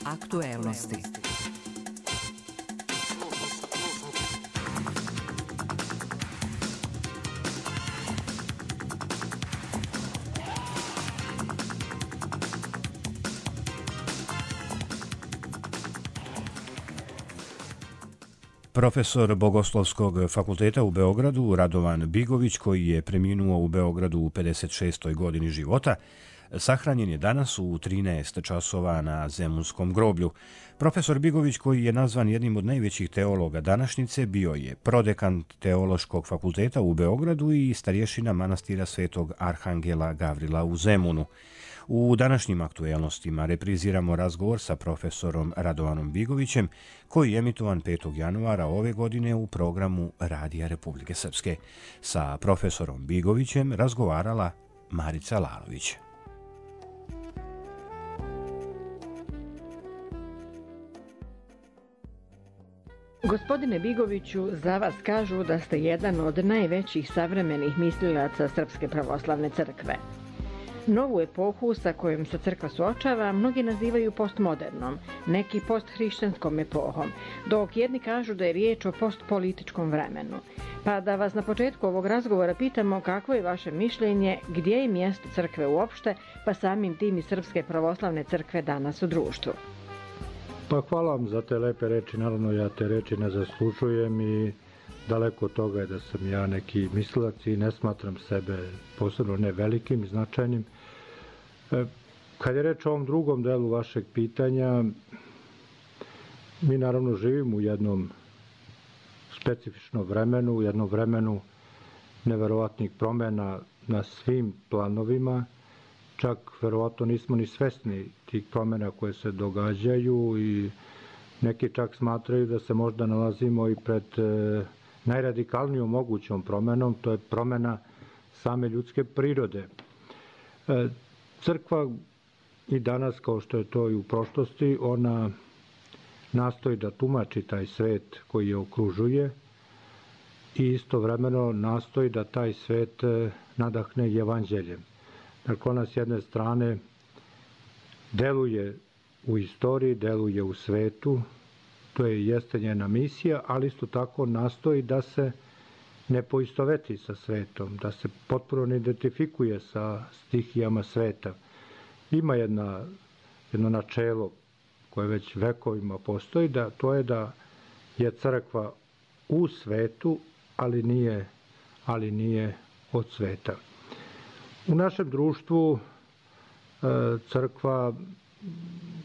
Aktuelnosti. Profesor Bogoslovskog fakulteta u Beogradu, Radovan Bigović, koji je preminuo u Beogradu u 56. godini života, sahranjen je danas u 13 časova na Zemunskom groblju. Profesor Bigović, koji je nazvan jednim od najvećih teologa današnjice, bio je prodekan Teološkog fakulteta u Beogradu i starješina manastira Svetog Arhangela Gavrila u Zemunu. U današnjim aktuelnostima repriziramo razgovor sa profesorom Radovanom Bigovićem, koji je emitovan 5. januara ove godine u programu Radija Republike Srpske. Sa profesorom Bigovićem razgovarala Marica Lalović. Gospodine Bigoviću, za vas kažu da ste jedan od najvećih savremenih mislilaca Srpske pravoslavne crkve. Novu epohu sa kojom se crkva suočava mnogi nazivaju postmodernom, neki posthrišćanskom epohom, dok jedni kažu da je riječ o postpolitičkom vremenu. Pa da vas na početku ovog razgovora pitamo kakvo je vaše mišljenje, gdje je mjesto crkve uopšte, pa samim tim i Srpske pravoslavne crkve danas u društvu. Pa hvala vam za te lepe reči, naravno ja te reči ne zaslužujem i daleko od toga je da sam ja neki mislilac i ne smatram sebe posebno ne velikim i značajnim. Kad je reč o ovom drugom delu vašeg pitanja, mi naravno živimo u jednom specifičnom vremenu, u jednom vremenu neverovatnih promjena na svim planovima, čak verovatno nismo ni svesni tih promjena koje se događaju i neki čak smatraju da se možda nalazimo i pred najradikalnijom mogućom promjenom, to je promjena same ljudske prirode. Crkva i danas, kao što je to i u prošlosti, ona nastoji da tumači taj svet koji je okružuje i istovremeno nastoji da taj svet nadahne evanđeljem. Dakle, ona s jedne strane deluje u istoriji, deluje u svetu, to jeste njena misija, ali isto tako nastoji da se ne poistoveti sa svetom, da se potpuno ne identifikuje sa stihijama sveta. Ima jedno načelo koje već vekovima postoji, da to je da je crkva u svetu, ali nije od sveta. U našem društvu crkva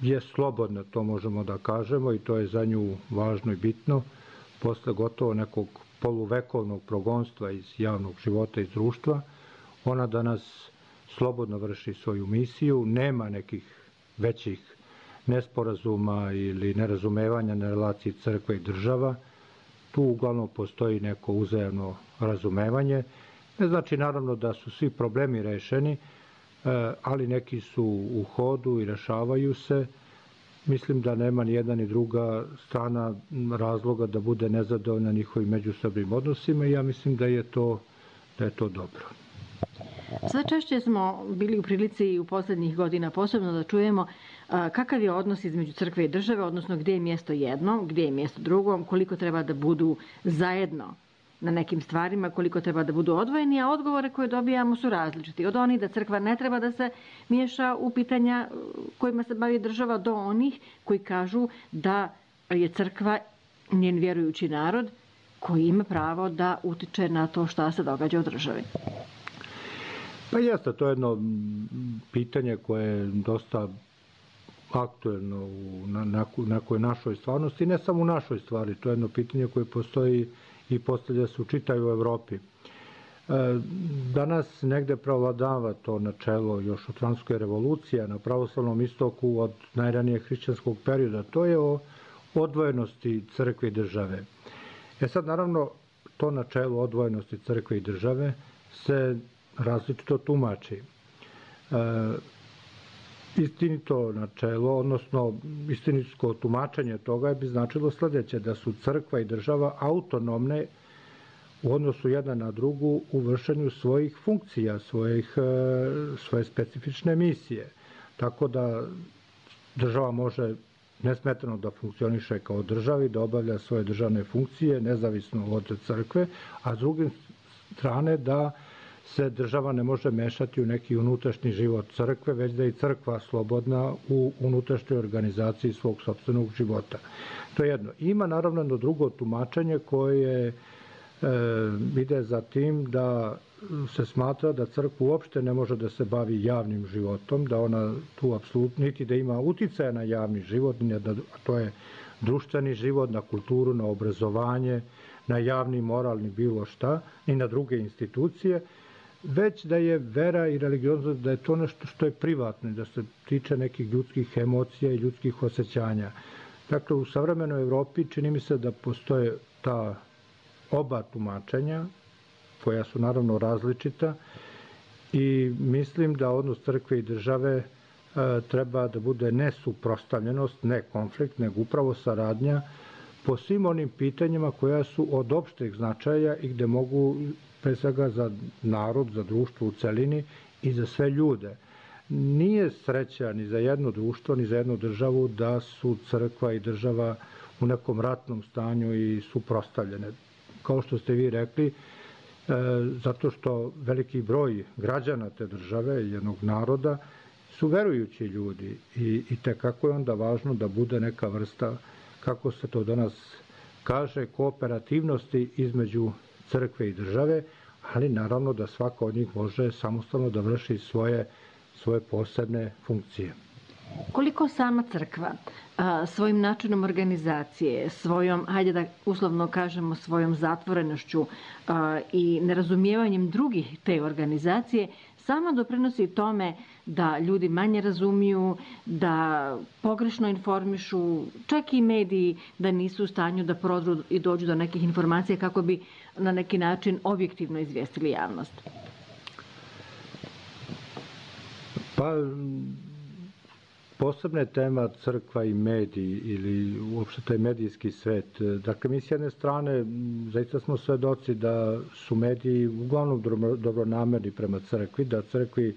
je slobodna, to možemo da kažemo, i to je za nju važno i bitno. Posle gotovo nekog poluvekovnog progonstva iz javnog života, iz društva, ona danas slobodno vrši svoju misiju, nema nekih većih nesporazuma ili nerazumevanja na relaciji crkve i država. Tu uglavnom postoji neko uzajamno razumevanje. Ne znači naravno da su svi problemi rešeni, ali neki su u hodu i rešavaju se. Mislim da nema ni jedna ni druga strana razloga da bude nezadovoljna njihovim međusobnim odnosima i ja mislim da je to dobro. Sve češće smo bili u prilici u posljednjih godina posebno da čujemo kakav je odnos između crkve i države, odnosno gdje je mjesto jednom, gdje je mjesto drugom, koliko treba da budu zajedno na nekim stvarima, koliko treba da budu odvojeni, a odgovore koje dobijamo su različiti. Od onih da crkva ne treba da se miješa u pitanja kojima se bavi država, do onih koji kažu da je crkva njen vjerujući narod koji ima pravo da utiče na to šta se događa u državi. Pa jeste, to je jedno pitanje koje je dosta aktuelno u nekoj našoj stvarnosti, ne samo u našoj stvari, to je jedno pitanje koje postoji i postavlja se u čitavoj Evropi. Danas negde prevladava to načelo još od Francuske revolucije na pravoslavnom istoku od najranijeg hrišćanskog perioda. To je o odvojenosti crkve i države. Sad naravno to načelo odvojenosti crkve i države se različito tumači. Istinito načelo, odnosno istinitsko tumačenje toga bi značilo sljedeće, da su crkva i država autonomne u odnosu jedna na drugu u vršenju svojih funkcija, svoje specifične misije. Tako da država može nesmetano da funkcioniše kao državi, da obavlja svoje državne funkcije nezavisno od crkve, a s druge strane da se država ne može mešati u neki unutrašnji život crkve, već da je i crkva slobodna u unutrašnjoj organizaciji svog sopstvenog života. To je jedno. Ima naravno jedno drugo tumačenje koje ide za tim da se smatra da crkva uopšte ne može da se bavi javnim životom, da ona tu apsolutno niti da ima uticaja na javni život, a to je društveni život, na kulturu, na obrazovanje, na javni, moralni, bilo šta, i na druge institucije, već da je vera i religioznost, da je to nešto što je privatno, da se tiče nekih ljudskih emocija i ljudskih osjećanja. Dakle, u savremenoj Evropi čini mi se da postoje ta oba tumačenja, koja su naravno različita, i mislim da odnos crkve i države treba da bude ne suprotstavljenost, ne konflikt, nego upravo saradnja po svim onim pitanjima koja su od opšteg značaja i gde mogu, pre svega za narod, za društvo u celini i za sve ljude. Nije sreća ni za jedno društvo, ni za jednu državu da su crkva i država u nekom ratnom stanju i suprotstavljene. Kao što ste vi rekli, zato što veliki broj građana te države i jednog naroda su verujući ljudi i tekako je onda važno da bude neka vrsta, kako se to danas kaže, kooperativnosti između crkve i države, ali naravno da svaka od njih može samostalno da vrši svoje posebne funkcije. Koliko sama crkva svojim načinom organizacije, svojom, hajde da uslovno kažemo, svojom zatvorenošću i nerazumijevanjem drugih te organizacije, sama doprinosi tome da ljudi manje razumiju, da pogrešno informišu, čak i mediji da nisu u stanju da prodru i dođu do nekih informacija kako bi na neki način objektivno izvijestili javnost? Pa, posebna je tema crkva i mediji ili uopšte taj medijski svet. Dakle, mi s jedne strane zaista smo svedoci da su mediji uglavnom dobronamerni prema crkvi, da crkvi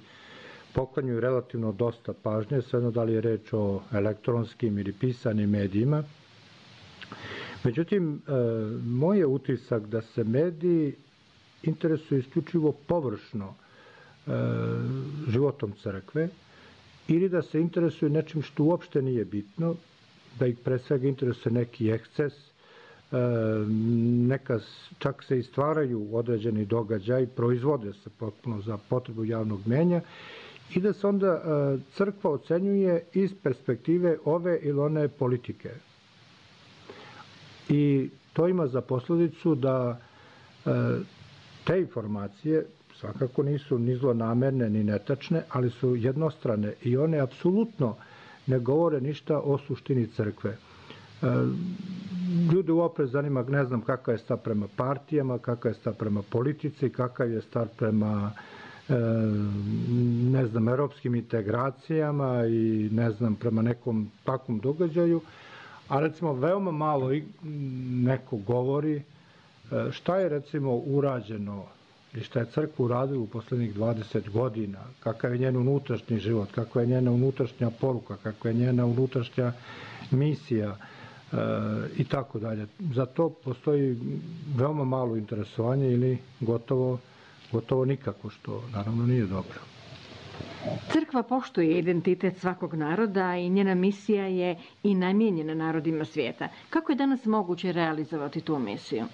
poklanjuju relativno dosta pažnje, svejedno da li je reč o elektronskim ili pisanim medijima. Međutim, moj je utisak da se mediji interesuju isključivo površno životom crkve, ili da se interesuju nečim što uopšte nije bitno, da ih pre svega interesuje neki eksces, čak se i stvaraju određeni događaj, proizvode se potpuno za potrebu javnog mnjenja, i da se onda crkva ocenjuje iz perspektive ove ili one politike. I to ima za posledicu da te informacije svakako nisu ni zlonamerne, ni netačne, ali su jednostrane i one apsolutno ne govore ništa o suštini crkve. Ljude uopšte zanima, ne znam kakav je stav prema partijama, kakav je stav prema politici, kakav je stav prema ne znam, evropskim integracijama i ne znam, prema nekom takvom događaju, a recimo veoma malo neko govori šta je recimo urađeno i šta je crkva uradila u poslednjih 20 godina, kakav je njen unutrašnji život, kakva je njena unutrašnja poruka, kakva je njena unutrašnja misija i tako dalje. Za to postoji veoma malo interesovanje ili gotovo nikako, što naravno nije dobro. Crkva poštuje identitet svakog naroda i njena misija je i namijenjena narodima svijeta. Kako je danas moguće realizovati tu misiju?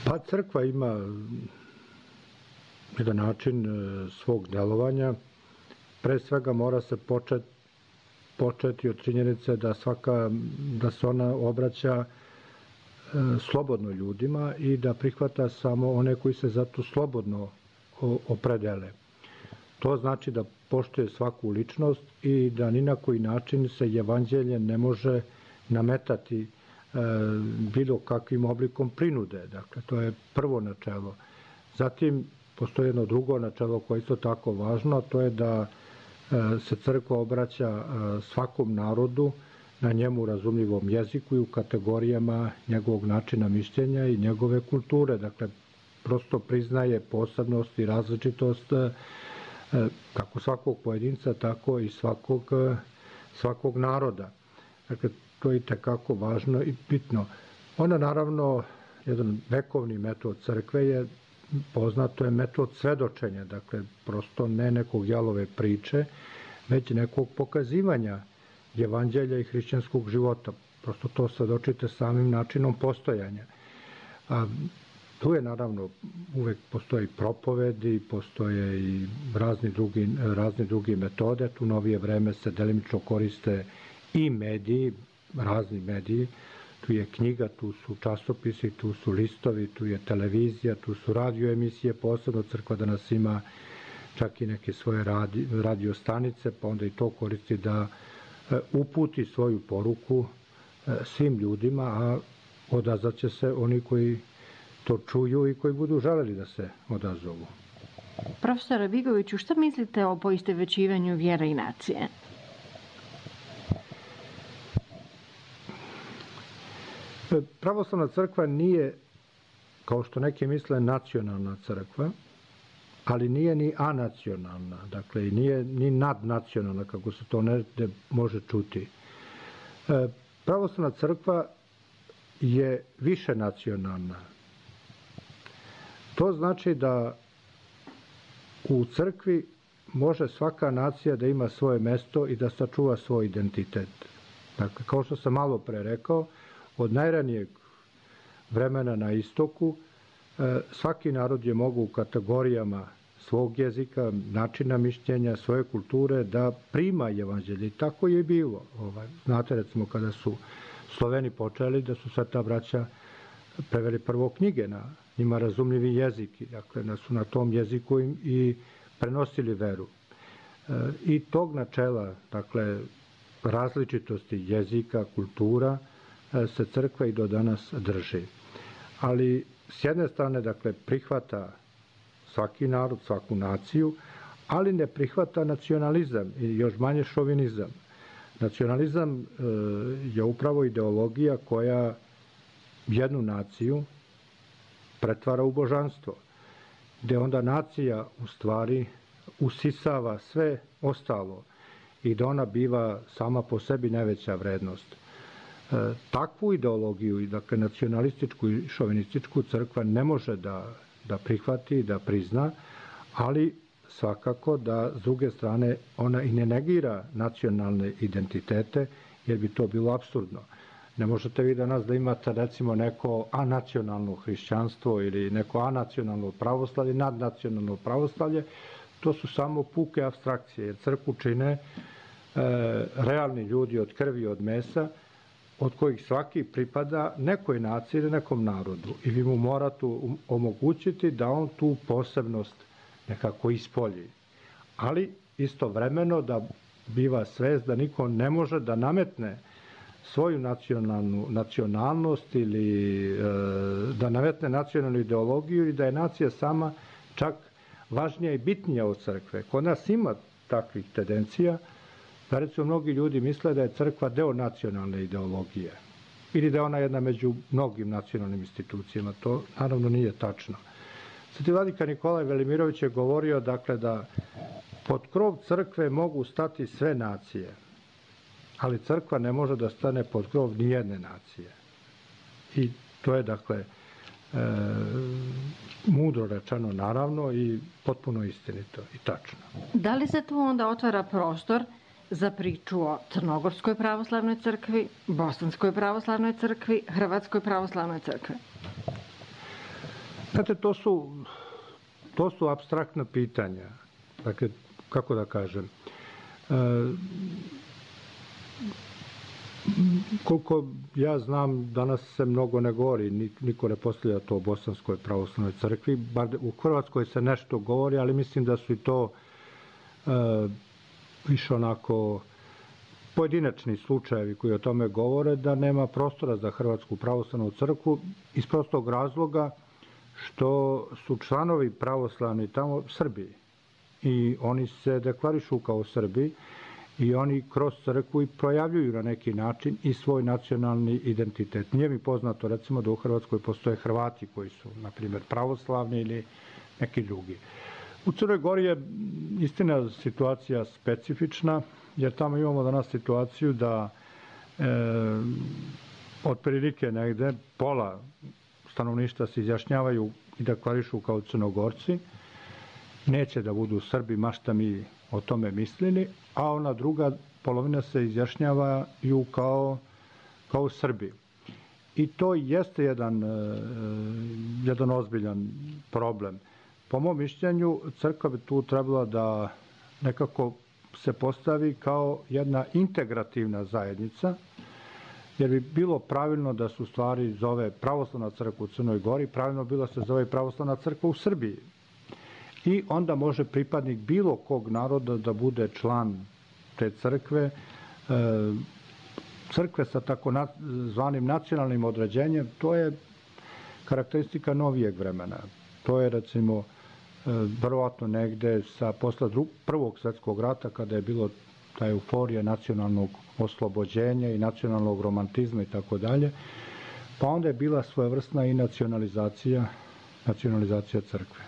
Pa crkva ima jedan način svog delovanja. Pre svega mora se početi od činjenice da se ona obraća slobodno ljudima i da prihvata samo one koji se za to slobodno opredele. To znači da poštuje svaku ličnost i da ni na koji način se evanđelje ne može nametati bilo kakvim oblikom prinude. Dakle, to je prvo načelo. Zatim, postoji jedno drugo načelo koje je isto tako važno, a to je da se crkva obraća svakom narodu na njemu razumljivom jeziku i u kategorijama njegovog načina mišljenja i njegove kulture. Dakle, prosto priznaje posebnost i različitost kako svakog pojedinca, tako i svakog naroda. Dakle, to je itekako važno i bitno. Ona, naravno, jedan vekovni metod crkve je poznato je metod svedočenja, dakle, prosto ne nekog jalove priče, već nekog pokazivanja evanđelja i hrišćanskog života. Prosto to svedočite samim načinom postojanja. Tu je, naravno, uvek postoji propovedi, postoje i razne drugi metode. Tu novije vreme se delimično koriste i mediji, razni mediji. Tu je knjiga, tu su časopisi, tu su listovi, tu je televizija, tu su radio emisije, posebno crkva danas ima čak i neke svoje radio stanice, pa onda i to koristi da uputi svoju poruku svim ljudima, a odazvaće se oni koji to čuju i koji budu želeli da se odazovu. Profesore Bigoviću, šta mislite o poistovećivanju vjere i nacije? Pravoslavna crkva nije, kao što neki misle, nacionalna crkva, ali nije ni anacionalna, dakle i nije ni nadnacionalna, kako se to negde može čuti. Pravoslavna crkva je više nacionalna. To znači da u crkvi može svaka nacija da ima svoje mesto i da sačuva svoj identitet. Dakle, kao što sam malo pre rekao, od najranijeg vremena na istoku svaki narod je mogao u kategorijama svog jezika, načina mišljenja, svoje kulture da prima evanđelje. I tako je bilo. Znate, recimo, kada su Sloveni počeli, da su Sveta braća preveli prvo knjige na njima razumljivi jezik. Dakle, da su na tom jeziku i prenosili veru. I tog načela, dakle, različitosti jezika, kultura, se crkva i do danas drži. Ali s jedne strane, dakle, prihvata svaki narod, svaku naciju, ali ne prihvata nacionalizam i još manje šovinizam. Nacionalizam je upravo ideologija koja jednu naciju pretvara u božanstvo, gde onda nacija u stvari usisava sve ostalo i da ona biva sama po sebi najveća vrednost. Takvu ideologiju, dakle nacionalističku i šovinističku, crkva ne može da prihvati, da prizna, ali svakako da s druge strane ona i ne negira nacionalne identitete, jer bi to bilo apsurdno. Ne možete vi danas da imate recimo neko anacionalno hrišćanstvo ili neko anacionalno pravoslavlje, nadnacionalno pravoslavlje, to su samo puke apstrakcije, jer crkvu čine realni ljudi od krvi i od mesa, od kojih svaki pripada nekoj naciji ili nekom narodu. I vi mu morate omogućiti da on tu posebnost nekako ispolji. Ali istovremeno da biva svest da niko ne može da nametne svoju nacionalnost ili da nametne nacionalnu ideologiju ili da je nacija sama čak važnija i bitnija od crkve. Kod nas ima takvih tendencija, da recimo mnogi ljudi misle da je crkva deo nacionalne ideologije ili da je ona jedna među mnogim nacionalnim institucijama. To naravno nije tačno. Sveti vladika Nikolaj Velimirović je govorio, dakle, da pod krov crkve mogu stati sve nacije, ali crkva ne može da stane pod krov nijedne nacije. I to je, dakle, mudro rečeno, naravno, i potpuno istinito i tačno. Da li se tu onda otvara prostor za priču o Crnogorskoj pravoslavnoj crkvi, Bosanskoj pravoslavnoj crkvi, Hrvatskoj pravoslavnoj crkvi? Znate, to su apstraktna pitanja. Dakle, kako da kažem, koliko ja znam, danas se mnogo ne govori, niko ne postavlja to o Bosanskoj pravoslavnoj crkvi, bar u Hrvatskoj se nešto govori, ali mislim da su i to više onako pojedinačni slučajevi koji o tome govore, da nema prostora za Hrvatsku pravoslavnu crkvu iz prostog razloga što su članovi pravoslavni tamo Srbi i oni se deklarišu kao Srbi i oni kroz crkvu i projavljuju na neki način i svoj nacionalni identitet. Nije mi poznato, recimo, da u Hrvatskoj postoje Hrvati koji su, na primjer, pravoslavni ili neki drugi. U Crnoj Gori je istina situacija specifična, jer tamo imamo danas situaciju da otprilike negde pola stanovništva se izjašnjavaju i deklarišu kao Crnogorci, neće da budu Srbi, ma šta mi o tome mislili, a ona druga polovina se izjašnjavaju kao Srbi. I to jeste jedan ozbiljan problem. Po mom mišljenju, crkva bi tu trebala da nekako se postavi kao jedna integrativna zajednica, jer bi bilo pravilno da se u stvari zove Pravoslavna crkva u Crnoj Gori, pravilno bilo se zove Pravoslavna crkva u Srbiji. I onda može pripadnik bilo kog naroda da bude član te crkve, crkve sa tako zvanim nacionalnim određenjem, to je karakteristika novijeg vremena. To je, recimo, verovatno negde posle Prvog svetskog rata, kada je bilo ta euforija nacionalnog oslobođenja i nacionalnog romantizma i tako dalje, pa onda je bila svojevrsna i nacionalizacija crkve.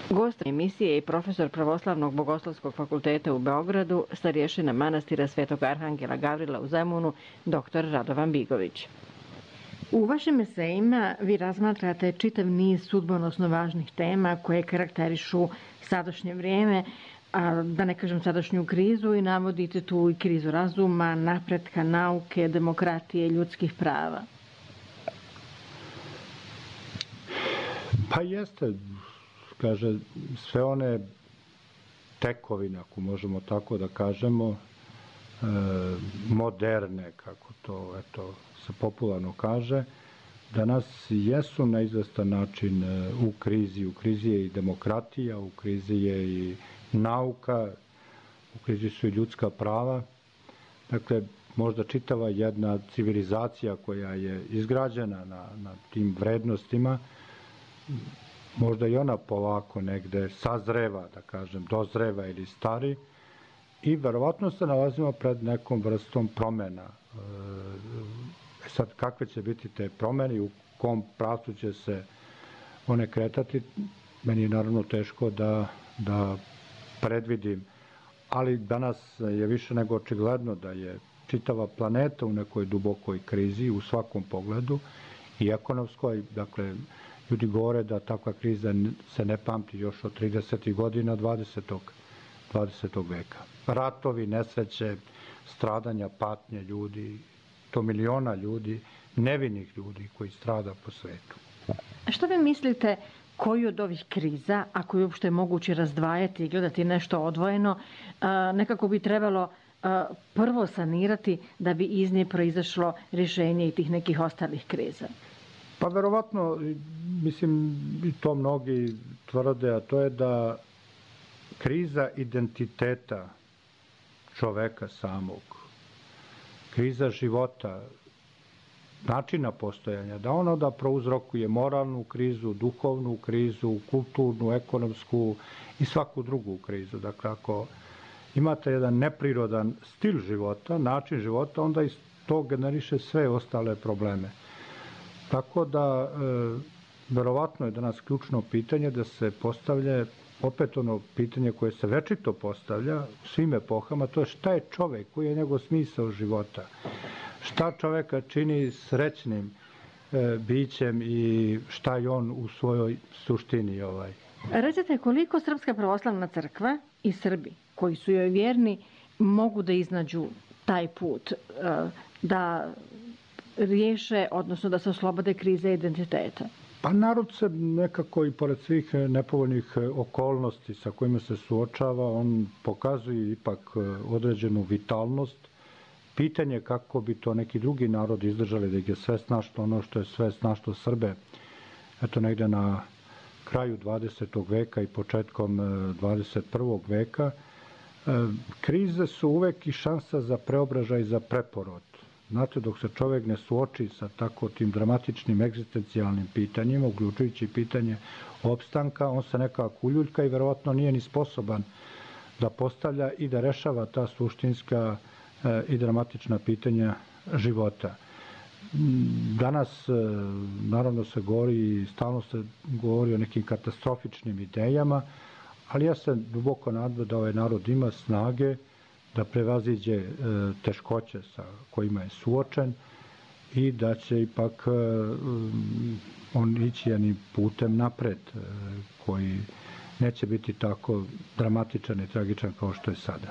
Gost emisije je profesor Pravoslavnog bogoslovskog fakulteta u Beogradu, starješina manastira Svetog Arhangela Gavrila u Zemunu, dr. Radovan Bigović. U vašim esejima vi razmatrate čitav niz sudbonosno važnih tema koje karakterišu sadašnje vrijeme, a da ne kažem sadašnju krizu, i navodite tu i krizu razuma, napretka nauke, demokratije, ljudskih prava. Pa jeste, kaže, sve one tekovine, ako možemo tako da kažemo, moderne, kako to se popularno kaže, danas jesu na izvestan način u krizi. U krizi je i demokratija, u krizi je i nauka, u krizi su i ljudska prava. Dakle, možda čitava jedna civilizacija koja je izgrađena na tim vrednostima, možda i ona polako negde sazreva, da kažem, dozreva ili stari, i verovatno se nalazimo pred nekom vrstom promena. Sad, kakve će biti te promene i u kom pravcu će se one kretati, meni je naravno teško da predvidim, ali danas je više nego očigledno da je čitava planeta u nekoj dubokoj krizi u svakom pogledu i ekonomskoj. Dakle, ljudi govore da takva kriza se ne pamti još od 30. godina 20. veka. Ratovi, nesreće, stradanja, patnje ljudi, to miliona ljudi, nevinih ljudi koji strada po svetu. Što vi mislite, koju od ovih kriza, ako je uopšte moguće razdvajati i gledati nešto odvojeno, nekako bi trebalo prvo sanirati da bi iz nje proizašlo rješenje i tih nekih ostalih kriza? Pa verovatno, mislim, i to mnogi tvrde, a to je da kriza identiteta čoveka samog, kriza života, načina postojanja, da ono da prouzrokuje moralnu krizu, duhovnu krizu, kulturnu, ekonomsku i svaku drugu krizu. Dakle, ako imate jedan neprirodan stil života, način života, onda iz to generiše sve ostale probleme. Tako da, verovatno je danas ključno pitanje da se postavlja opet ono pitanje koje se večito postavlja u svim epohama, to je šta je čovek, koji je njegov smisao života, šta čoveka čini srećnim bićem i šta je on u svojoj suštini. Recite, koliko Srpska pravoslavna crkva i Srbi koji su joj vjerni mogu da iznađu taj put, da riješe, odnosno da se oslobode krize identiteta? Pa narod se nekako i pored svih nepovoljnih okolnosti sa kojima se suočava, on pokazuje ipak određenu vitalnost. Pitanje kako bi to neki drugi narod izdržali, da ih je sve snašlo ono što je sve snašlo Srbe. Eto, negde na kraju 20. veka i početkom 21. veka, krize su uvek i šansa za preobražaj i za preporod. Znate, dok se čovek ne suoči sa tako tim dramatičnim egzistencijalnim pitanjima, uključujući pitanje opstanka, on se nekako uljuljka i verovatno nije ni sposoban da postavlja i da rešava ta suštinska i dramatična pitanja života. Danas, naravno, se govori i stalno se govori o nekim katastrofičnim idejama, ali ja se duboko nadam da ovaj narod ima snage da prevaziđe teškoće sa kojima je suočen i da će ipak on ići jednim putem napred, koji neće biti tako dramatičan i tragičan kao što je sada.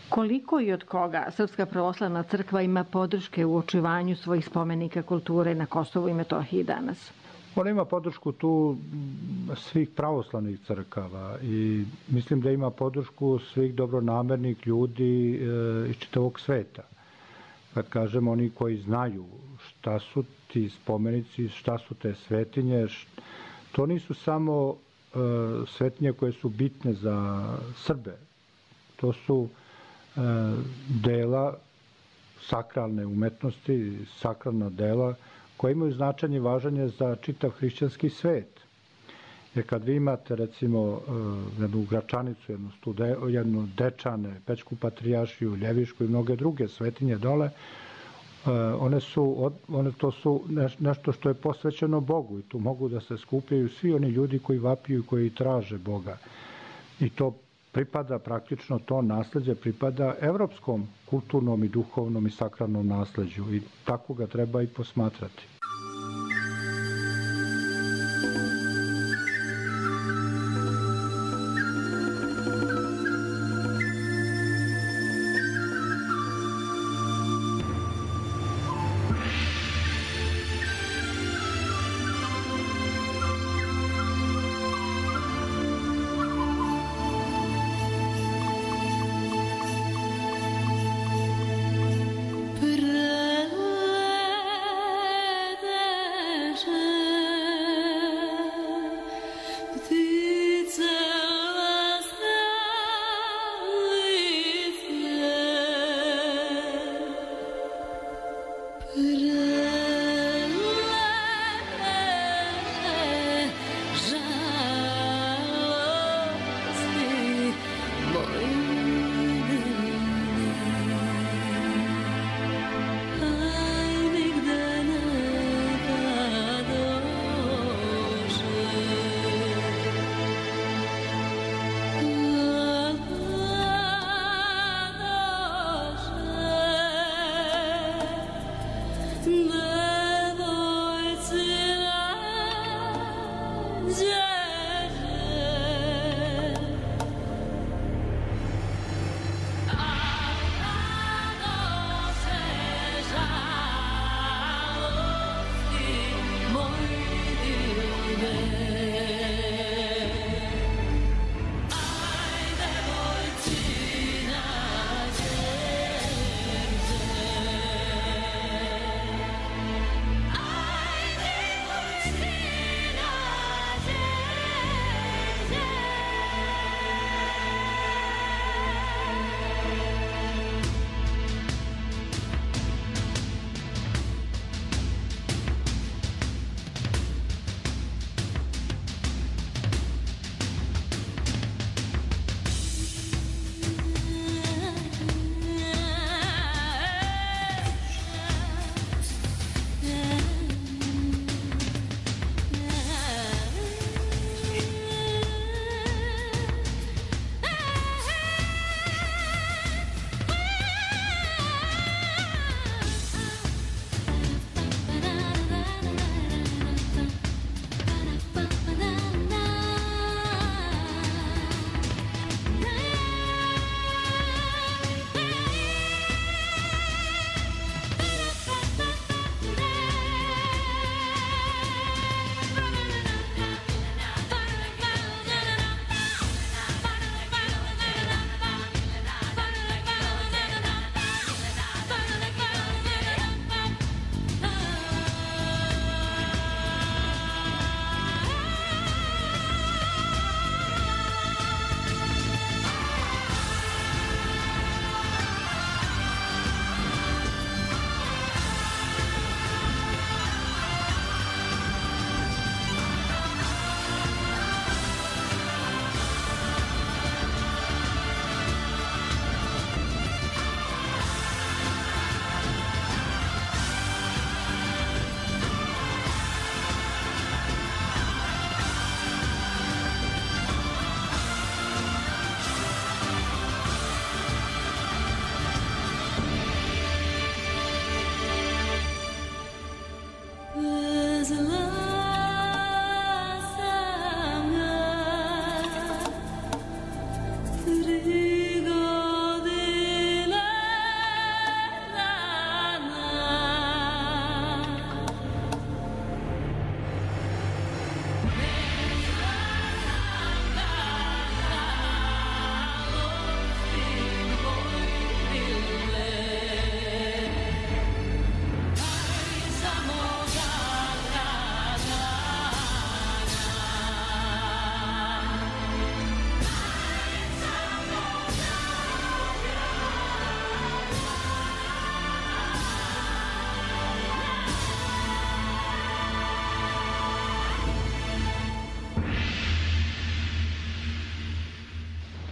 Koliko i od koga Srpska pravoslavna crkva ima podrške u očuvanju svojih spomenika kulture na Kosovu i Metohiji danas? Ona ima podršku tu svih pravoslavnih crkava i mislim da ima podršku svih dobronamernih ljudi iz čitavog sveta. Kad kažem oni koji znaju šta su ti spomenici, šta su te svetinje, to nisu samo svetinje koje su bitne za Srbe. To su dela sakralne umetnosti, sakralna dela koje imaju značajne i važanje za čitav hrišćanski svet. Jer kad vi imate, recimo, jednu Gračanicu, jednu Dečane, Pećku patrijaršiju, Ljevišku i mnoge druge svetinje dole, to su nešto što je posvećeno Bogu i tu mogu da se skupljaju svi oni ljudi koji vapiju i koji traže Boga. I to pripada praktično, to nasleđe pripada evropskom kulturnom i duhovnom i sakralnom nasleđu i tako ga treba i posmatrati.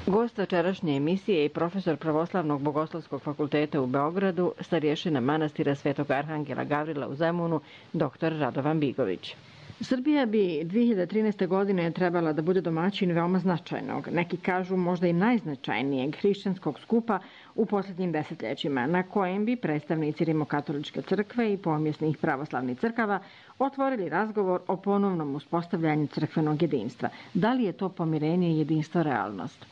Gost večerašnje emisije je profesor Pravoslavnog bogoslovskog fakulteta u Beogradu, starješina manastira Svetog Arhangela Gavrila u Zemunu, dr. Radovan Bigović. Srbija bi 2013. godine trebala da bude domaćin veoma značajnog, neki kažu možda i najznačajnijeg hrišćanskog skupa u posljednjim desetljećima, na kojem bi predstavnici Rimokatoličke crkve i pomjesnih pravoslavnih crkava otvorili razgovor o ponovnom uspostavljanju crkvenog jedinstva. Da li je to pomirenje i jedinstvo realnost?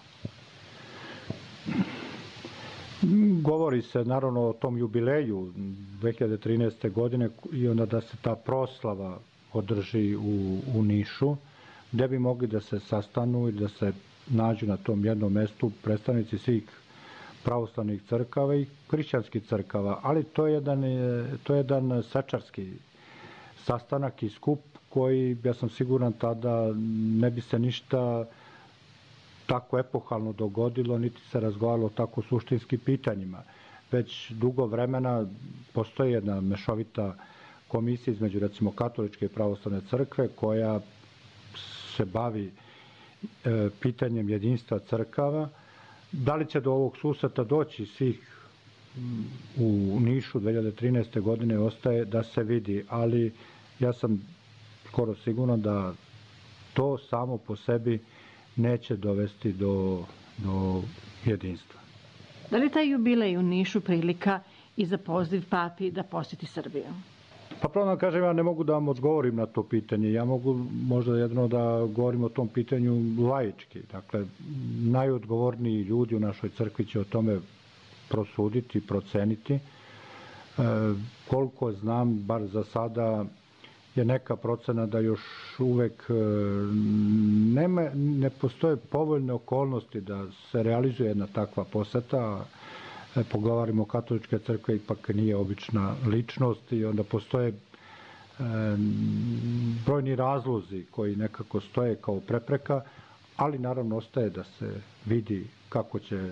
Govori se naravno o tom jubileju 2013. godine i onda da se ta proslava održi u Nišu, gde bi mogli da se sastanu i da se nađu na tom jednom mestu predstavnici svih pravoslavnih crkava i hrišćanskih crkava, ali to je jedan svečarski sastanak i skup koji, ja sam siguran, tada ne bi se ništa tako epohalno dogodilo, niti se razgovaralo o tako suštinskim pitanjima. Već dugo vremena postoji jedna mešovita komisija između, recimo, katoličke i pravoslavne crkve koja se bavi pitanjem jedinstva crkava. Da li će do ovog susreta doći svih u Nišu 2013. godine ostaje da se vidi, ali ja sam skoro siguran da to samo po sebi neće dovesti do jedinstva. Da li taj jubilej u Nišu prilika i za poziv papi da posjeti Srbiju? Pa pravo da kažem, ja ne mogu da vam odgovorim na to pitanje. Ja mogu možda jedno da govorim o tom pitanju laički. Dakle, najodgovorniji ljudi u našoj crkvi će o tome prosuditi, proceniti. Koliko znam, bar za sada, je neka procena da još uvek ne postoje povoljne okolnosti da se realizuje jedna takva poseta. Pogovarimo o katoličke crkve, ipak nije obična ličnost i onda postoje brojni razlozi koji nekako stoje kao prepreka, ali naravno ostaje da se vidi kako će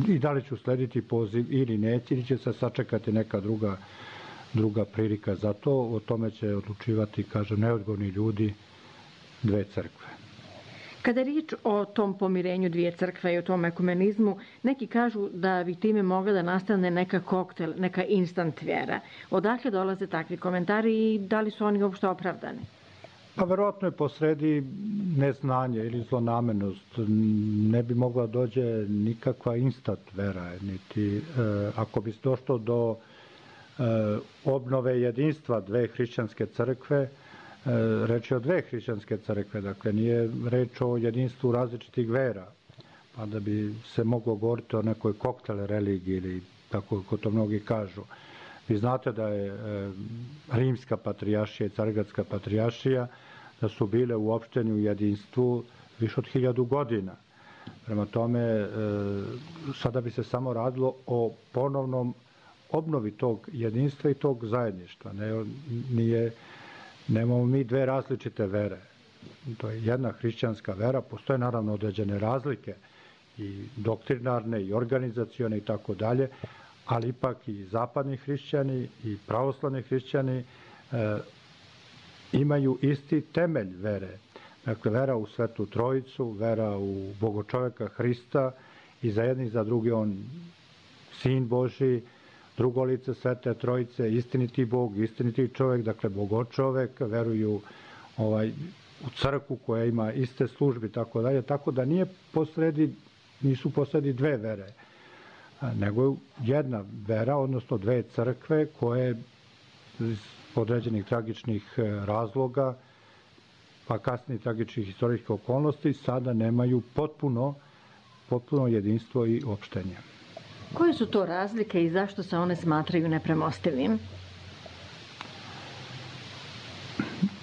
i da li će uslediti poziv ili neće, ili će se sačekati neka druga prilika za to. O tome će odlučivati, kažem, neodgovorni ljudi dve crkve. Kada je riječ o tom pomirenju dvije crkve i o tom ekumenizmu, neki kažu da bi time mogla da nastane neka koktel, neka instant vjera. Odakle dolaze takvi komentari i da li su oni uopšte opravdani? Pa verovatno je posredi neznanje ili zlonamernost. Ne bi mogla dođe nikakva instant vera, niti ako bi došlo do obnove jedinstva dve hrišćanske crkve, reč je o dve hrišćanske crkve, dakle nije reč o jedinstvu različitih vera, pa da bi se moglo govoriti o nekoj koktel religiji ili tako kako to mnogi kažu. Vi znate da je Rimska patrijaršija i Carigradska patrijaršija da su bile uopšteni u jedinstvu više od 1000 godina. Prema tome, sada bi se samo radilo o ponovnom obnovi tog jedinstva i tog zajedništva. Nemamo mi dve različite vere. To je jedna hrišćanska vera, postoje naravno određene razlike i doktrinarne i organizacione i tako dalje, ali ipak i zapadni hrišćani i pravoslavni hrišćani imaju isti temelj vere. Dakle, vera u Svetu Trojicu, vera u Bogočoveka Hrista i za jedni i za drugi on Sin Božji, drugo lice Svete Trojice, istiniti Bog, istiniti čovek, dakle Bogočovek, veruju u crkvu koja ima iste službe i tako dalje, tako da nisu posredi dve vere, nego jedna vera, odnosno dve crkve koje određenih tragičnih razloga, pa kasnije tragičnih istorijskih okolnosti, sada nemaju potpuno jedinstvo i opštenje. Koje su to razlike i zašto se one smatraju nepremostivim?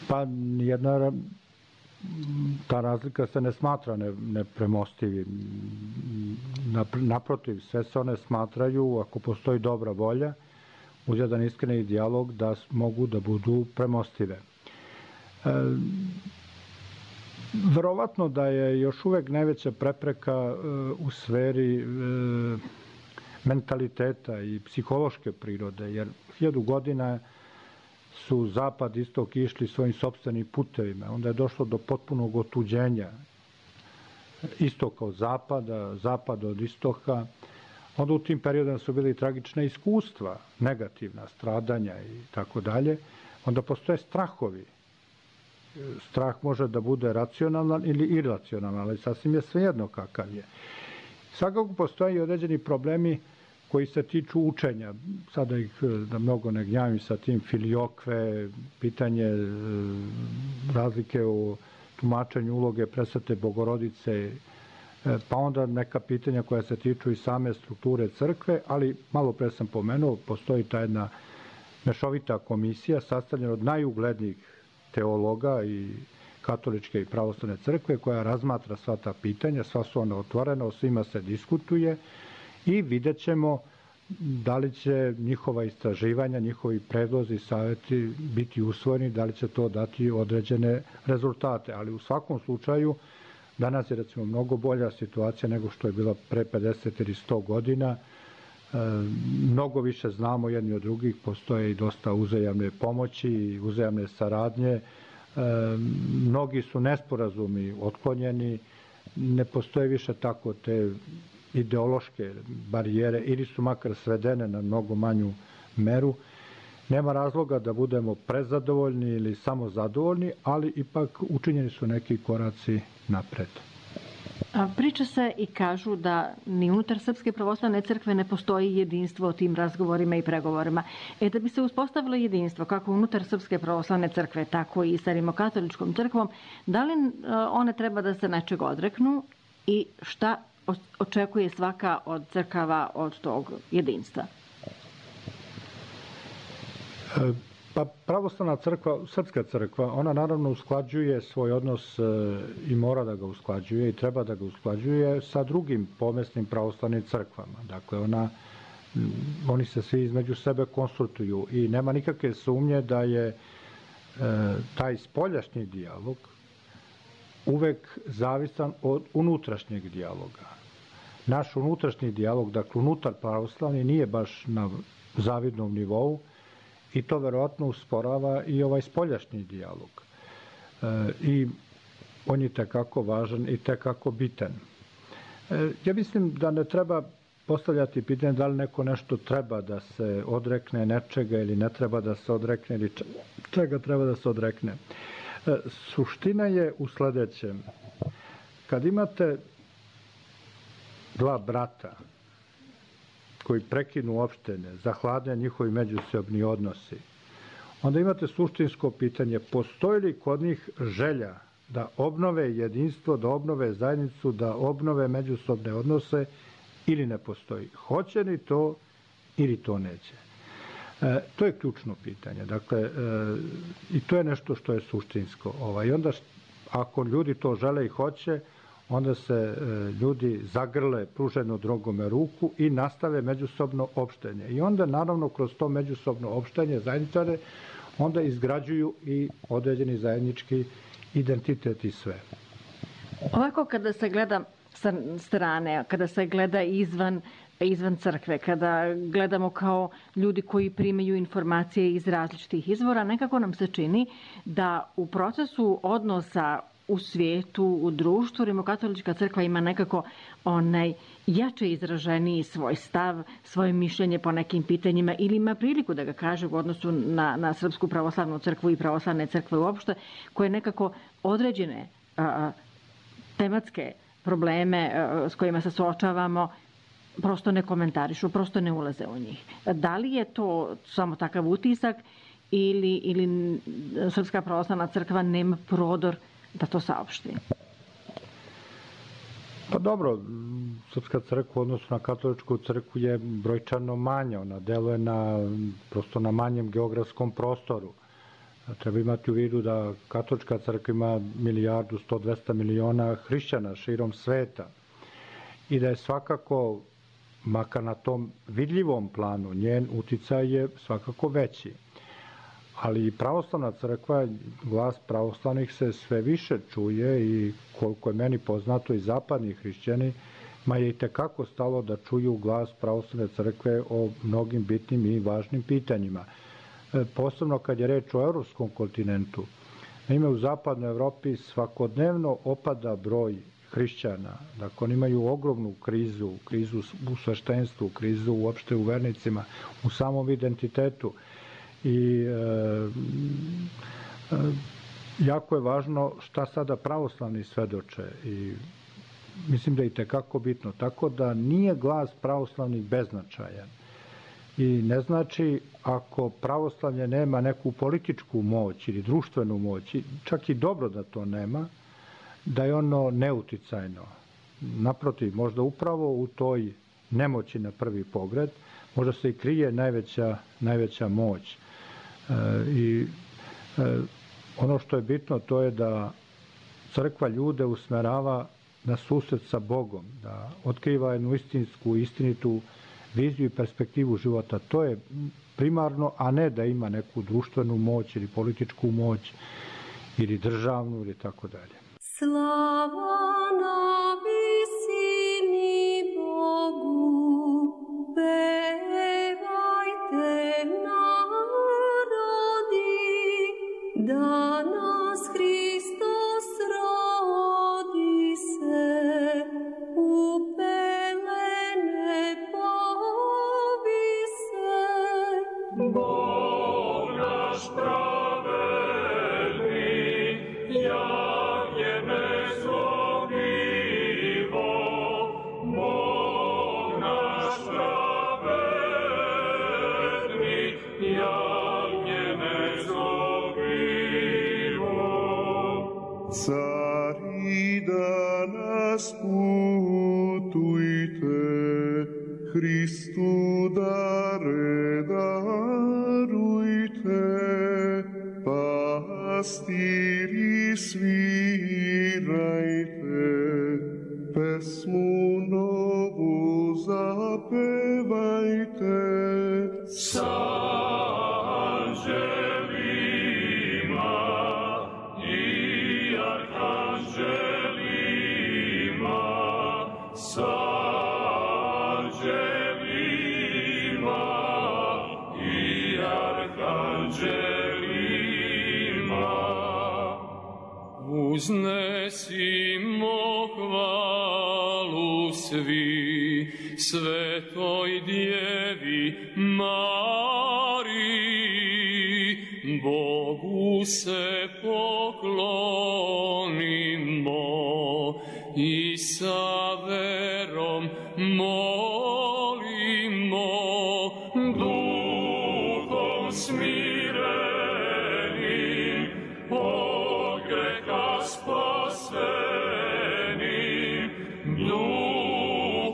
Pa nijedna ta razlika se ne smatra nepremostivim. Naprotiv, sve se one smatraju, ako postoji dobra volja, uz jedan iskreni dijalog, da mogu da budu premostive. Verovatno da je još uvek najveća prepreka u sferi mentaliteta i psihološke prirode, jer 1000 godina su zapad i istok išli svojim sopstvenim putevima. Onda je došlo do potpunog otuđenja istoka od zapada, zapada od istoka. Onda u tim periodima su bili tragične iskustva, negativna stradanja i tako dalje. Onda postoje strahovi. Strah može da bude racionalan ili iracionalan, ali sasvim je svejedno kakav je. Svakako postoje i određeni problemi koji se tiču učenja. Sada ih da mnogo ne gnjavim sa tim, filiokve, pitanje razlike u tumačenju uloge presvete Bogorodice, pa onda neka pitanja koja se tiču i same strukture crkve, ali malo pre sam pomenuo, postoji ta jedna mešovita komisija sastavljena od najuglednijih teologa i katoličke i pravoslavne crkve koja razmatra sva ta pitanja, sva su ona otvorena, o svima se diskutuje i vidjet ćemo da li će njihova istraživanja, njihovi predlozi i saveti biti usvojeni, da li će to dati određene rezultate. Ali u svakom slučaju danas je recimo mnogo bolja situacija nego što je bila pre 50 ili 100 godina. Mnogo više znamo jedni od drugih, postoje i dosta uzajamne pomoći, uzajamne saradnje. Mnogi su nesporazumi otklonjeni, ne postoje više tako te ideološke barijere ili su makar svedene na mnogo manju meru. Nema razloga da budemo prezadovoljni ili samo zadovoljni, ali ipak učinjeni su neki koraci napred. Priča se i kažu da ni unutar Srpske pravoslavne crkve ne postoji jedinstvo o tim razgovorima i pregovorima. Da bi se uspostavilo jedinstvo kako unutar Srpske pravoslavne crkve, tako i sa rimokatoličkom crkvom, da li one treba da se nečeg odreknu i šta očekuje svaka od crkava od tog jedinstva? Pa pravoslavna crkva, Srpska crkva, ona naravno usklađuje svoj odnos i mora da ga usklađuje i treba da ga usklađuje sa drugim pomesnim pravoslavnim crkvama. Dakle, oni se svi između sebe konsultuju i nema nikakve sumnje da je taj spoljašnji dijalog uvek zavisan od unutrašnjeg dijaloga. Naš unutrašnji dijalog, dakle unutar pravoslavni, nije baš na zavidnom nivou, i to verovatno usporava i ovaj spoljašnji dijalog. I on je tekako važan i tekako bitan. Ja mislim da ne treba postavljati pitanje da li neko nešto treba da se odrekne nečega ili ne treba da se odrekne ili čega treba da se odrekne. Suština je u sledećem. Kad imate dva brata koji prekinu opštine, zahlade njihovi međusobni odnosi, onda imate suštinsko pitanje, postoji li kod njih želja da obnove jedinstvo, da obnove zajednicu, da obnove međusobne odnose ili ne postoji. Hoće li to ili to neće? To je ključno pitanje. Dakle, i to je nešto što je suštinsko. I onda, ako ljudi to žele i hoće, onda se ljudi zagrle pruženo drugome ruku i nastave međusobno opštenje. I onda, naravno, kroz to međusobno opštenje zajedničare, onda izgrađuju i određeni zajednički identitet i sve. Ovako, kada se gleda sa strane, kada se gleda izvan crkve, kada gledamo kao ljudi koji primaju informacije iz različitih izvora, nekako nam se čini da u procesu odnosa u svijetu, u društvu, rimokatolička crkva ima nekako jače izraženiji svoj stav, svoje mišljenje po nekim pitanjima ili ima priliku da ga kaže u odnosu na Srpsku pravoslavnu crkvu i pravoslavne crkve uopšte, koje nekako određene tematske probleme s kojima se suočavamo prosto ne komentarišu, prosto ne ulaze u njih. Da li je to samo takav utisak ili Srpska pravoslavna crkva nema prodor da to saopšti? Pa dobro, Srpska crkva u odnosu na katoličku crkvu je brojčano manja, ona deluje prosto na manjem geografskom prostoru. Treba imati u vidu da katolička crkva ima 1.100.200 miliona hrišćana širom sveta i da je svakako, makar na tom vidljivom planu, njen uticaj je svakako veći. Ali pravoslavna crkva, glas pravoslavnih se sve više čuje i koliko je meni poznato i zapadni hrišćani, ma je i tekako stalo da čuju glas pravoslavne crkve o mnogim bitnim i važnim pitanjima. Posebno kad je reč o evropskom kontinentu. Naime, u zapadnoj Evropi svakodnevno opada broj hrišćana. Dakle, oni imaju ogromnu krizu u sveštenstvu, krizu uopšte u vernicima, u samom identitetu. I jako je važno šta sada pravoslavni svedoče i mislim da je i tekako bitno. Tako da nije glas pravoslavnih beznačajan i ne znači ako pravoslavlje nema neku političku moć ili društvenu moć, čak i dobro da to nema, da je ono neuticajno. Naprotiv, možda upravo u toj nemoći na prvi pogled možda se i krije najveća moć. I ono što je bitno to je da crkva ljude usmerava na susret sa Bogom, da otkriva jednu istinitu viziju i perspektivu života. To je primarno, a ne da ima neku društvenu moć ili političku moć ili državnu ili tako dalje. Slava na visini Bogu, pevajte narodi, da nas Hristos rodi se, u pelene povise. Bog naš pravedni, jagnjeme zlobivo, Bog naš pravedni, jagnjeme zlobivo. Cari danas putujte, Hristu dare darujte, pastiri svirajte, pesmu novu zapevajte. Sa anđelima i arhanđelima, sa anđelima i arhanđelima. Uznesimo hvalu svi svetoj Djevi Mariji, Bogu se poklonimo i sa verom molimo, duhom smirenim, od greha spasenim, duhom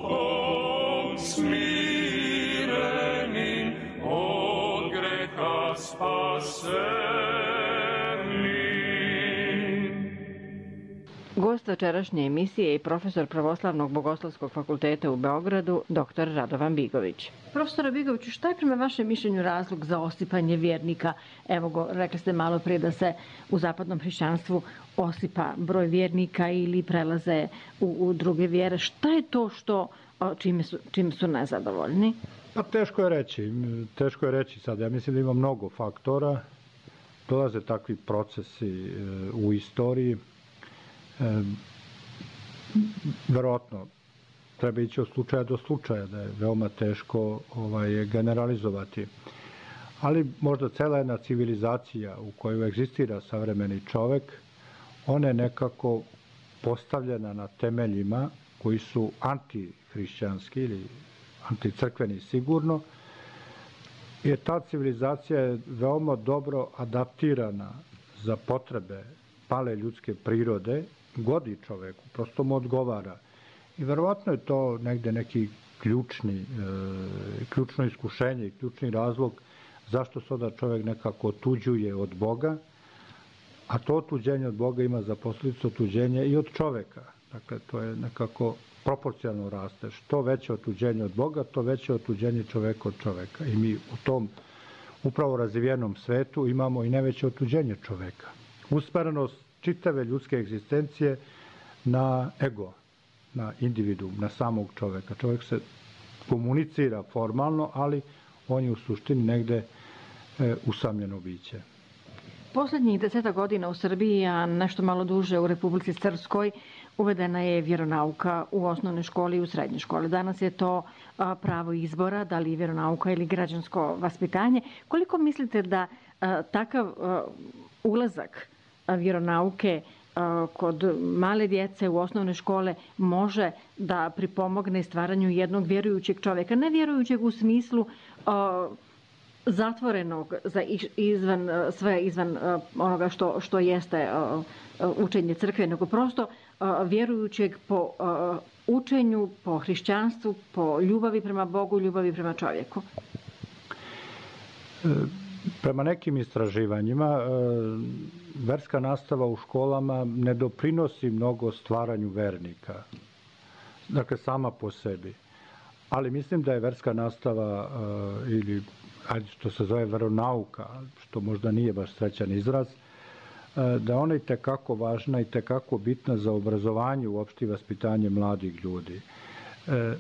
smirenim, od greha spasenim. Gost večerašnje emisije je profesor Pravoslavnog bogoslovskog fakulteta u Beogradu, dr. Radovan Bigović. Profesor Bigoviću, šta je prema vašem mišljenju razlog za osipanje vjernika? Evo, rekli ste malo prije da se u zapadnom hrišćanstvu osipa broj vjernika ili prelaze u druge vjere. Šta je to čime su nezadovoljni? Pa teško je reći sad. Ja mislim da ima mnogo faktora. Dolaze takvi procesi u istoriji. Verovatno treba ići od slučaja do slučaja, da je veoma teško generalizovati. Ali možda cela jedna civilizacija u kojoj egzistira savremeni čovek, ona je nekako postavljena na temeljima koji su antihrišćanski ili anticrkveni sigurno Jer ta civilizacija je veoma dobro adaptirana za potrebe pale ljudske prirode, godi čoveku, prosto mu odgovara. I verovatno je to negde neki ključno iskušenje i ključni razlog zašto se onda čovek nekako otuđuje od Boga, a to otuđenje od Boga ima za posledicu otuđenje i od čoveka. Dakle, to je nekako proporcionalno raste. Što veće otuđenje od Boga, to veće otuđenje čoveka od čoveka. I mi u tom upravo razvijenom svetu imamo i najveće otuđenje čoveka. Usmerenost čitave ljudske egzistencije na ego, na individuum, na samog čoveka. Čovek se komunicira formalno, ali on je u suštini negde usamljeno biće. Poslednjih 10 godina u Srbiji, a nešto malo duže u Republici Srpskoj, uvedena je vjeronauka u osnovne škole i u srednje škole. Danas je to pravo izbora, da li vjeronauka ili građansko vaspitanje. Koliko mislite da takav ulazak vjeronauke kod male djece u osnovne škole može da pripomogne stvaranju jednog vjerujućeg čoveka? Ne vjerujućeg u smislu zatvorenog za izvan onoga što jeste učenje crkve, nego prosto vjerujućeg po učenju, po hrišćanstvu, po ljubavi prema Bogu, ljubavi prema čovjeku. Prema nekim istraživanjima, verska nastava u školama ne doprinosi mnogo stvaranju vernika, dakle sama po sebi. Ali mislim da je verska nastava ili što se zove veronauka, što možda nije baš srećan izraz, da ona je tekako važna i tekako bitna za obrazovanje, uopšte i vaspitanje mladih ljudi.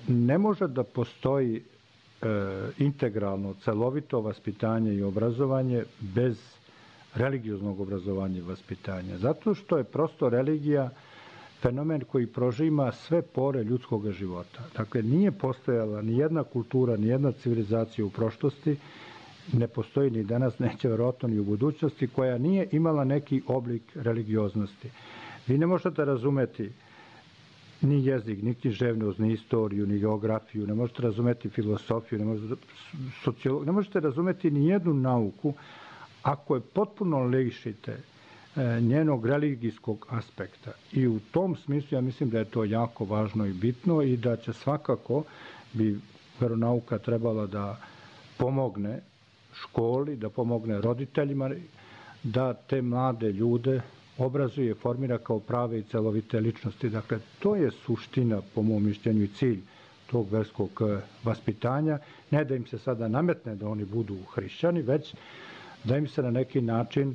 Ne može da postoji integralno, celovito vaspitanje i obrazovanje bez religioznog obrazovanja i vaspitanja. Zato što je prosto religija fenomen koji prožima sve pore ljudskog života. Dakle, nije postojala ni jedna kultura, ni jedna civilizacija u prošlosti, ne postoji ni danas, neće verovatno ni u budućnosti, koja nije imala neki oblik religioznosti. Vi ne možete razumeti ni jezik, ni književnost, ni istoriju, ni geografiju, ne možete razumeti filosofiju, ne možete razumeti ni jednu nauku ako je potpuno lišite njenog religijskog aspekta. I u tom smislu ja mislim da je to jako važno i bitno i da će svakako bi veronauka trebala da pomogne školi, da pomogne roditeljima, da te mlade ljude obrazuje, formira kao prave i celovite ličnosti. Dakle, to je suština, po mom mišljenju, i cilj tog verskog vaspitanja. Ne da im se sada nametne da oni budu hrišćani, već da im se na neki način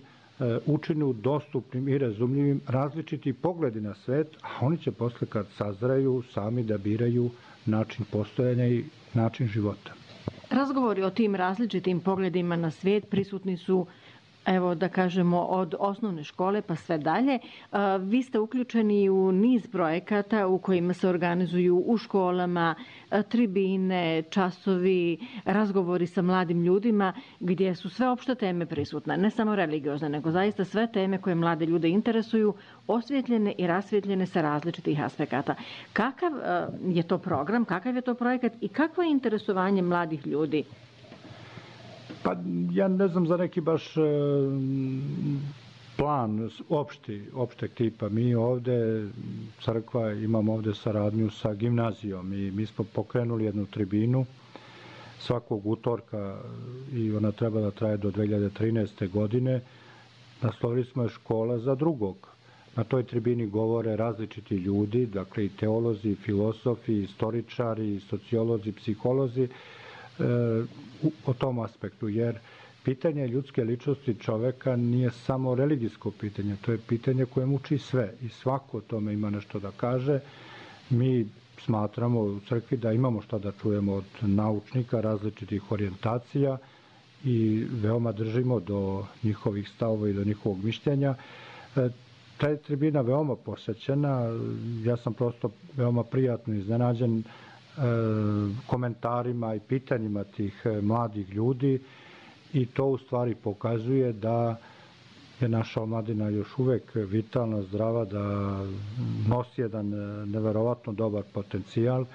učinu dostupnim i razumljivim različiti pogledi na svet, a oni će posle kad sazraju sami da biraju način postojanja i način života. Razgovori o tim različitim pogledima na svijet prisutni su, evo da kažemo, od osnovne škole pa sve dalje. Vi ste uključeni u niz projekata u kojima se organizuju u školama tribine, časovi, razgovori sa mladim ljudima, gdje su sve opšte teme prisutne, ne samo religiozne, nego zaista sve teme koje mlade ljude interesuju, osvjetljene i rasvjetljene sa različitih aspekata. Kakav je to program, kakav je to projekat i kakvo je interesovanje mladih ljudi? Pa ja ne znam za neki baš plan opšteg tipa. Mi ovde, crkva, imamo ovde saradnju sa gimnazijom i mi smo pokrenuli jednu tribinu svakog utorka i ona treba da traje do 2013. godine. Naslovili smo je Škola za drugog. Na toj tribini govore različiti ljudi, dakle i teolozi, i filosofi, i istoričari, i sociolozi, psiholozi, o tom aspektu, jer pitanje ljudske ličnosti čoveka nije samo religijsko pitanje, to je pitanje koje muči sve i svako o tome ima nešto da kaže. Mi smatramo u crkvi da imamo šta da čujemo od naučnika različitih orijentacija i veoma držimo do njihovih stavova i do njihovog mišljenja. Ta je tribina veoma posećena, ja sam prosto veoma prijatno iznenađen komentarima i pitanjima tih mladih ljudi i to u stvari pokazuje da je naša omladina još uvek vitalna, zdrava, da nosi jedan neverovatno dobar potencijal,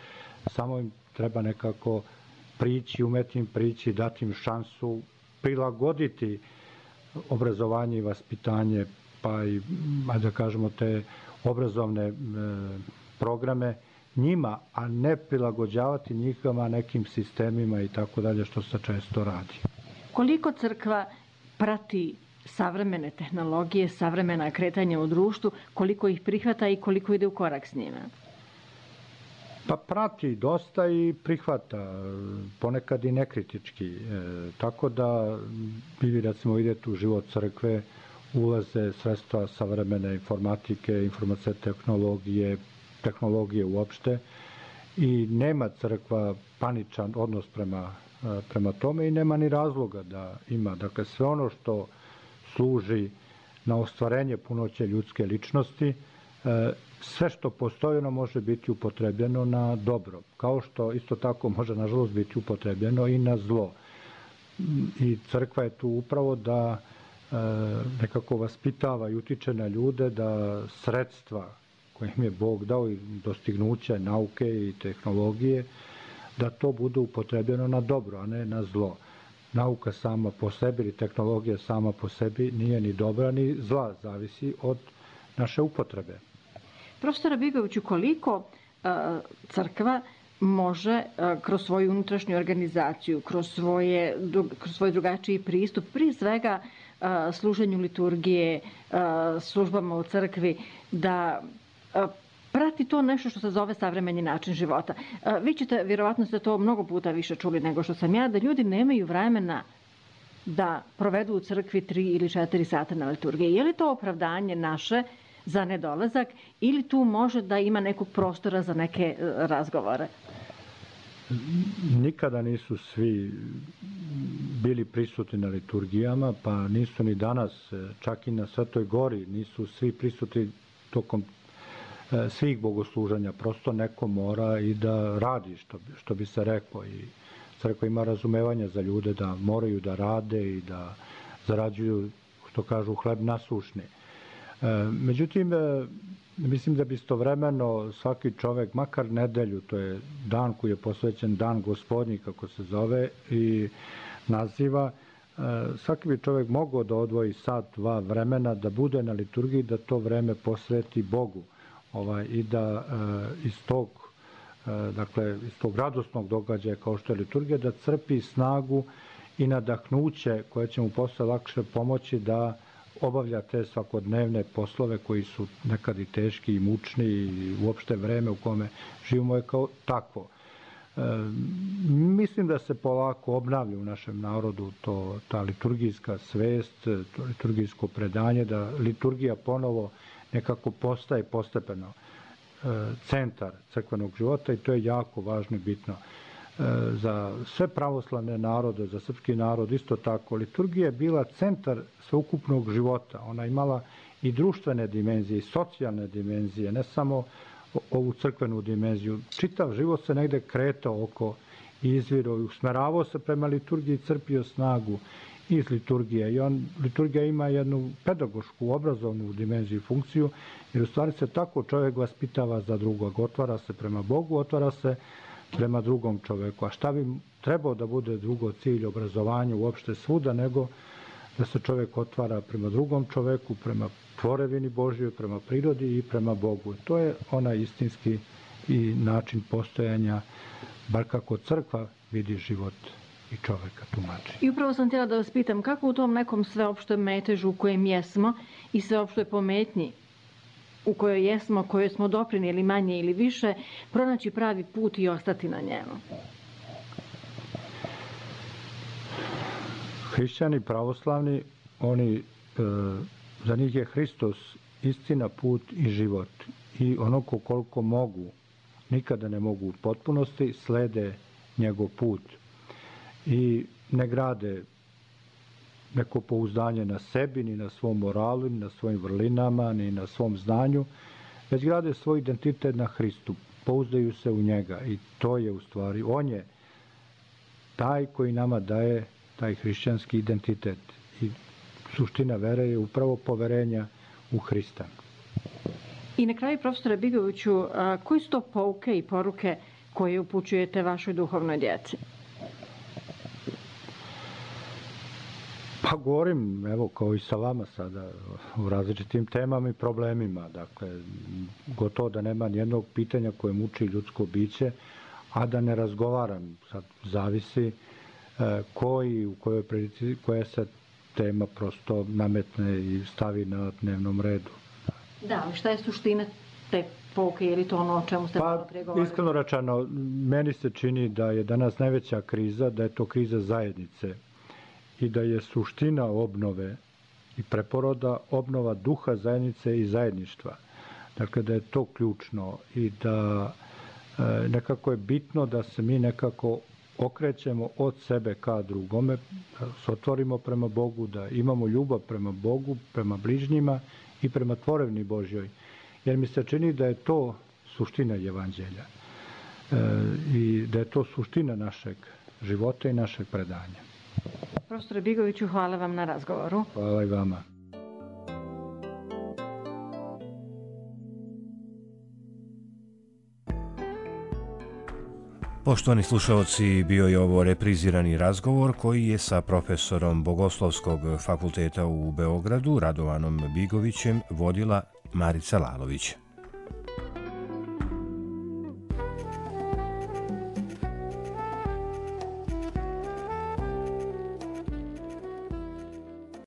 samo im treba nekako prići, umeti im prići, dati im šansu, prilagoditi obrazovanje i vaspitanje, pa i, da kažemo, te obrazovne programe njima, a ne prilagođavati njihova nekim sistemima i tako dalje, što se često radi. Koliko crkva prati savremene tehnologije, savremena kretanja u društvu, koliko ih prihvata i koliko ide u korak s njima? Pa prati dosta i prihvata, ponekad i nekritički. Tako da vi recimo idete u život crkve, ulaze sredstva savremene informatike, informacije tehnologije uopšte i nema crkva paničan odnos prema tome i nema ni razloga da ima. Dakle, sve ono što služi na ostvarenje punoće ljudske ličnosti, sve što postoji ono može biti upotrebljeno na dobro, kao što isto tako može nažalost biti upotrebljeno i na zlo. I crkva je tu upravo da nekako vaspitava i utiče na ljude da sredstva koje im je Bog dao i dostignuće nauke i tehnologije, da to bude upotrebljeno na dobro, a ne na zlo. Nauka sama po sebi ili tehnologija sama po sebi nije ni dobra ni zla, zavisi od naše upotrebe. Profesora Bigoviću, koliko crkva može kroz svoju unutrašnju organizaciju, kroz svoj drugačiji pristup, prije svega služenju liturgije, službama u crkvi, da prati to nešto što se zove savremeni način života. Vi ćete, vjerovatno ste to mnogo puta više čuli nego što sam ja, da ljudi nemaju vremena da provedu u crkvi 3 ili 4 sata na liturgiji. Je li to opravdanje naše za nedolazak ili tu može da ima nekog prostora za neke razgovore? Nikada nisu svi bili prisutni na liturgijama, pa nisu ni danas, čak i na Svetoj Gori, nisu svi prisutni tokom svih bogosluženja. Prosto neko mora i da radi, što bi se reklo. I crkva ima razumevanja za ljude da moraju da rade i da zarađuju, što kažu, hleb nasušni. Međutim, mislim da bi istovremeno svaki čovek, makar nedelju, to je dan koji je posvećen Dan Gospodnji, kako se zove i naziva, svaki bi čovek mogao da odvoji sat, 2 vremena, da bude na liturgiji, da to vreme posveti Bogu i da iz tog radosnog događaja kao što je liturgija, da crpi snagu i nadahnuće koje će mu posle lakše pomoći da obavlja te svakodnevne poslove koji su nekad i teški i mučni i uopšte vreme u kome živimo je kao takvo. Mislim da se polako obnavlja u našem narodu ta liturgijska svest, to liturgijsko predanje, da liturgija ponovo nekako postaje postepeno centar crkvenog života i to je jako važno i bitno. Za sve pravoslavne narode, za srpski narod isto tako, liturgija je bila centar sveukupnog života. Ona imala i društvene dimenzije, i socijalne dimenzije, ne samo ovu crkvenu dimenziju. Čitav život se negde kretao oko i izvirao i usmeravao se prema liturgiji, crpio snagu iz liturgije. Liturgija ima jednu pedagošku, obrazovnu dimenziju i funkciju, jer u stvari se tako čovjek vaspitava za drugog. Otvara se prema Bogu, otvara se prema drugom čoveku. A šta bi trebao da bude drugo cilj obrazovanja uopšte svuda, nego da se čovek otvara prema drugom čoveku, prema tvorevini Božjoj, prema prirodi i prema Bogu. To je onaj istinski i način postojanja, bar kako crkva vidi život i čoveka tumači. I upravo sam htjela da vas pitam, kako u tom nekom sveopštem metežu u kojem jesmo i sveopštoj pometnji u kojoj jesmo, kojoj smo doprinijeli manje ili više, pronaći pravi put i ostati na njemu? Hrišćani pravoslavni, za njih je Hristos istina, put i život. I onako koliko mogu, nikada ne mogu u potpunosti, slede njegov put. I ne grade neko pouzdanje na sebi, ni na svom moralu, ni na svojim vrlinama, ni na svom znanju, već grade svoj identitet na Hristu. Pouzdaju se u njega i to je u stvari, on je taj koji nama daje taj hrišćanski identitet. I suština vere je upravo poverenja u Hrista. I na kraju, profesore Bigoviću, koji su to pouke i poruke koje upućujete vašoj duhovnoj djeci? Pa govorim, evo, kao i sa vama sada, u različitim temama i problemima. Dakle, gotovo da nema nijednog pitanja koje muči ljudsko biće, a da ne razgovaram. Sad zavisi ko i u kojoj prilici, koja se tema prosto nametne i stavi na dnevnom redu. Da, ali šta je suština te pouke, je li to ono o čemu ste malo prije govorili? Iskreno rečeno, meni se čini da je danas najveća kriza, da je to kriza zajednice i da je suština obnove i preporoda obnova duha zajednice i zajedništva. Dakle, da je to ključno i da nekako je bitno da se mi nekako okrećemo od sebe ka drugome, da se otvorimo prema Bogu, da imamo ljubav prema Bogu, prema bližnjima i prema tvorevni Božjoj. Jer mi se čini da je to suština evanđelja i da je to suština našeg života i našeg predanja. Profesore Bigoviću, hvala vam na razgovoru. Hvala i vama. Poštovani slušalci, bio je ovo reprizirani razgovor koji je sa profesorom Bogoslovskog fakulteta u Beogradu, Radovanom Bigovićem, vodila Marica Lalović.